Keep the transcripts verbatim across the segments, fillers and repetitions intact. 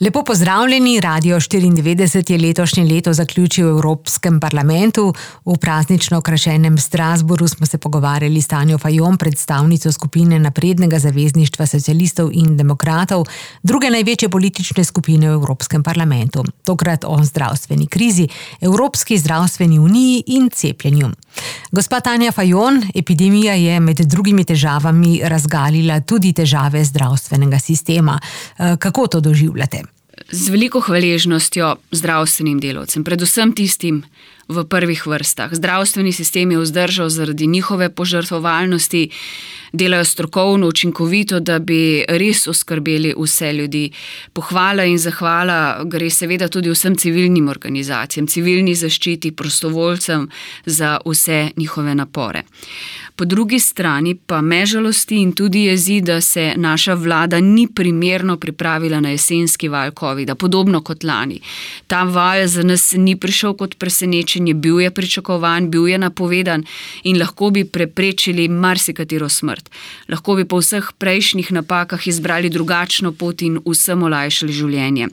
Lepo pozdravljeni, Radio štiriindevetdeset je letošnje leto zaključil v Evropskem parlamentu. V praznično okrašenem Strasbourgu smo se pogovarjali s Tanjo Fajon, predstavnico skupine Naprednega zavezništva socialistov in demokratov, druge največje politične skupine v Evropskem parlamentu. Tokrat o zdravstveni krizi, Evropski zdravstveni uniji in cepljenju. Gospa Tanja Fajon, epidemija je med drugimi težavami razgalila tudi težave zdravstvenega sistema. Kako to doživljate? Z veliko hvaležnostjo zdravstvenim delavcem, predvsem tistim v prvih vrstah. Zdravstveni sistem je vzdržal zaradi njihove požrtvovalnosti, delajo strokovno, učinkovito, da bi res oskrbeli vse ljudi. Pohvala in zahvala gre seveda tudi vsem civilnim organizacijam, civilni zaščiti, prostovoljcem za vse njihove napore. Po drugi strani pa me žalosti in tudi jezi, da se naša vlada ni primerno pripravila na jesenski val covida, podobno kot lani. Ta val za nas ni prišel kot presenečenje, bil je pričakovan, bil je napovedan in lahko bi preprečili marsikatero smrt. Lahko bi po vseh prejšnjih napakah izbrali drugačno pot in vsem olajšali življenje.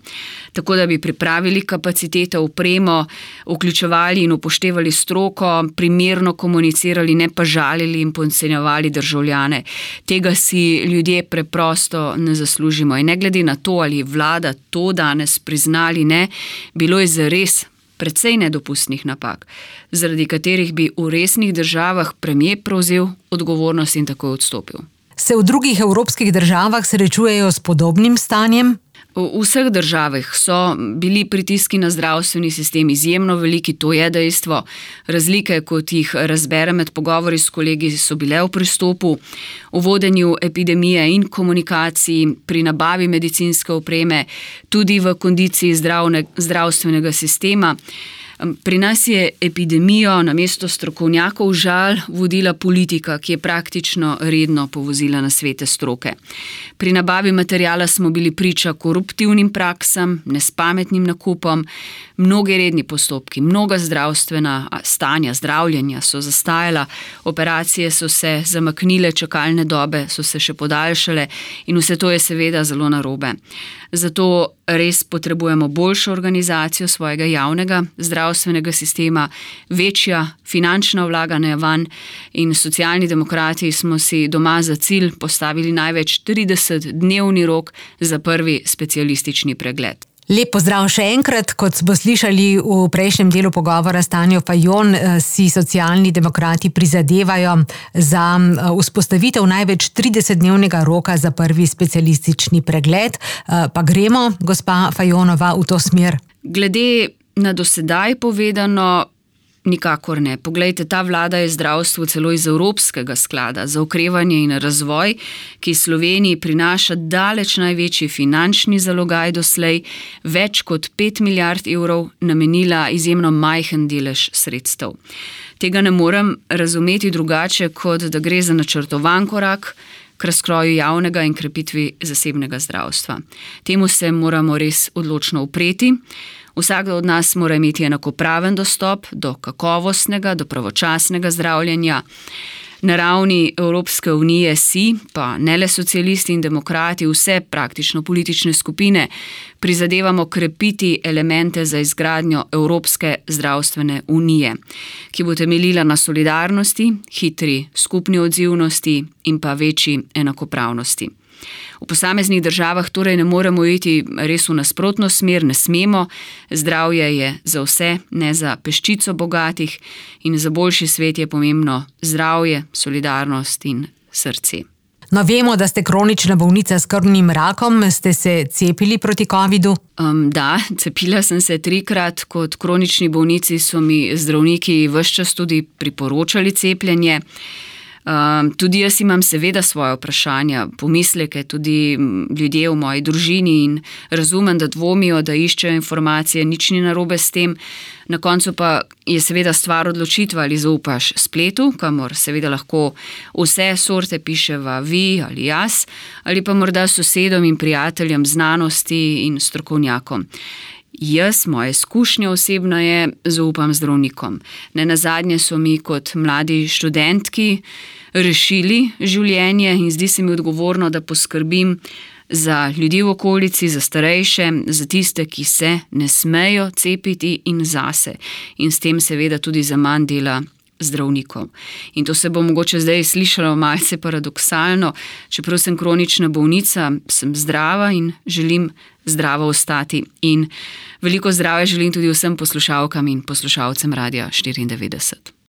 Tako da bi pripravili kapacitete, opremo, vključevali in upoštevali stroko, primerno komunicirali, ne pa žalili in podcenjevali državljane. Tega si ljudje preprosto ne zaslužimo. In ne glede na to, ali vlada to danes priznali, ne, bilo je zares precej nedopustnih napak, zaradi katerih bi v resnih državah premier prevzel odgovornost in takoj odstopil. Se v drugih evropskih državah srečujejo s podobnim stanjem? V vseh državah so bili pritiski na zdravstveni sistem izjemno veliki, to je dejstvo. Razlike, kot jih razberem med pogovori s kolegi, so bile v pristopu, v vodenju epidemije in komunikaciji, pri nabavi medicinske opreme, tudi v kondiciji zdravne, zdravstvenega sistema. Pri nas je epidemijo namesto strokovnjakov žal vodila politika, ki je praktično redno povozila na svete stroke. Pri nabavi materijala smo bili priča koruptivnim praksam, nespametnim nakupom, mnogi redni postopki, mnoga zdravstvena stanja, zdravljenja so zastajala, operacije so se zamaknile, čakalne dobe so se še podaljšale in vse to je seveda zelo narobe. Zato res potrebujemo boljšo organizacijo svojega javnega zdravstvenega sistema, večja finančna vlaganja vanj in Socialni demokrati smo si doma za cilj postavili največ tridesetdnevni rok za prvi specialistični pregled. Lep pozdrav še enkrat, kot smo slišali v prejšnjem delu pogovora s Tanjo Fajon, si Socialni demokrati prizadevajo za vzpostavitev največ tridesetdnevnega roka za prvi specialistični pregled. Pa gremo, gospa Fajonova, v to smer? Glede na dosedaj povedano, nikakor ne. Poglejte, ta vlada je zdravstvo celo iz Evropskega sklada za okrevanje in razvoj, ki Sloveniji prinaša daleč največji finančni zalogaj doslej, več kot pet milijard evrov, namenila izjemno majhen delež sredstev. Tega ne morem razumeti drugače, kot da gre za načrtovan korak k razkroju javnega in krepitvi zasebnega zdravstva. Temu se moramo res odločno upreti. Vsak od nas mora imeti enakopraven dostop do kakovostnega, do pravočasnega zdravljenja. Na ravni Evropske unije si, pa ne le socialisti in demokrati, vse praktično politične skupine prizadevamo krepiti elemente za izgradnjo Evropske zdravstvene unije, ki bo temeljila na solidarnosti, hitri skupni odzivnosti in pa večji enakopravnosti. V posameznih državah torej ne moremo iti res v nasprotno smer, ne smemo. Zdravje je za vse, ne za peščico bogatih in za boljši svet je pomembno zdravje, solidarnost in srce. No, vemo, da ste kronična bolnica s krvnim rakom. Ste se cepili proti covidu? Um, da, cepila sem se trikrat. Kot kronični bolnici so mi zdravniki ves čas tudi priporočali cepljenje. Um, tudi jaz imam seveda svoje vprašanja, pomisleke, tudi ljudje v moji družini in razumem, da dvomijo, da iščejo informacije, nič ni narobe s tem. Na koncu pa je seveda stvar odločitva, ali zaupaš spletu, kamor seveda lahko vse sorte piševa vi ali jaz, ali pa morda sosedom in prijateljem znanosti in strokovnjakom. Jaz, moje izkušnje osebno je, zaupam zdravnikom. Nenazadnje so mi kot mladi študentki rešili življenje in zdi se mi odgovorno, da poskrbim za ljudi v okolici, za starejše, za tiste, ki se ne smejo cepiti in zase. In s tem seveda tudi za manj dela zdravnikov. In to se bo mogoče zdaj slišalo malce paradoksalno, čeprav sem kronična bolnica, sem zdrava in želim zdravo ostati. In veliko zdravja želim tudi vsem poslušalkam in poslušalcem Radia štiriindevetdeset.